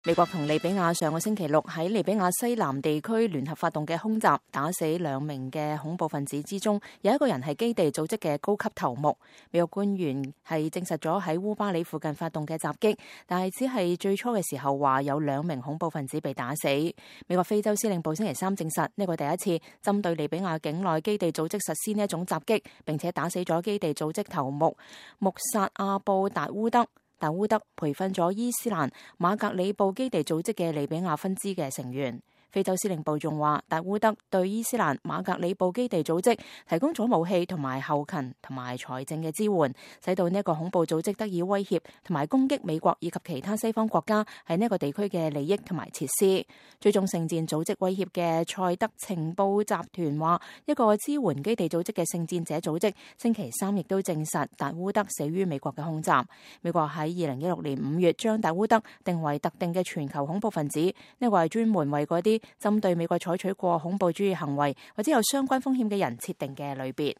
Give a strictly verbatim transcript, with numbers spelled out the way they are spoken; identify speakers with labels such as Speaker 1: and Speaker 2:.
Speaker 1: 美國同利比亞上個星期六喺利比亞西南地區聯合發動嘅空襲，打死兩名嘅恐怖分子之中，有一個人係基地組織嘅高級頭目。美國官員係證實咗喺烏巴里附近發動嘅襲擊，但係只係最初嘅時候話有兩名恐怖分子被打死。美國非洲司令部星期三證實呢個第一次針對利比亞境內基地組織實施呢一種襲擊，並且打死咗基地組織頭目穆薩阿布達烏德。達烏德培訓咗伊斯蘭馬格里布基地組織嘅利比亞分支嘅成員。非洲司令部仲話，達烏德對伊斯蘭馬格里布基地組織提供咗武器同埋後勤同埋財政嘅支援，使到呢一個恐怖組織得以威脅同埋攻擊美國以及其他西方國家喺呢一個地區嘅利益同埋設施。追蹤聖戰組織威脅嘅塞德情報集團話，一個支援基地組織嘅聖戰者組織星期三亦都證實達烏德死於美國嘅空襲。美國喺二零一六年五月將達烏德定為特定嘅全球恐怖分子，呢個係專門為嗰啲針對美國採取過恐怖主義行為或者有相關風險嘅人設定嘅類別。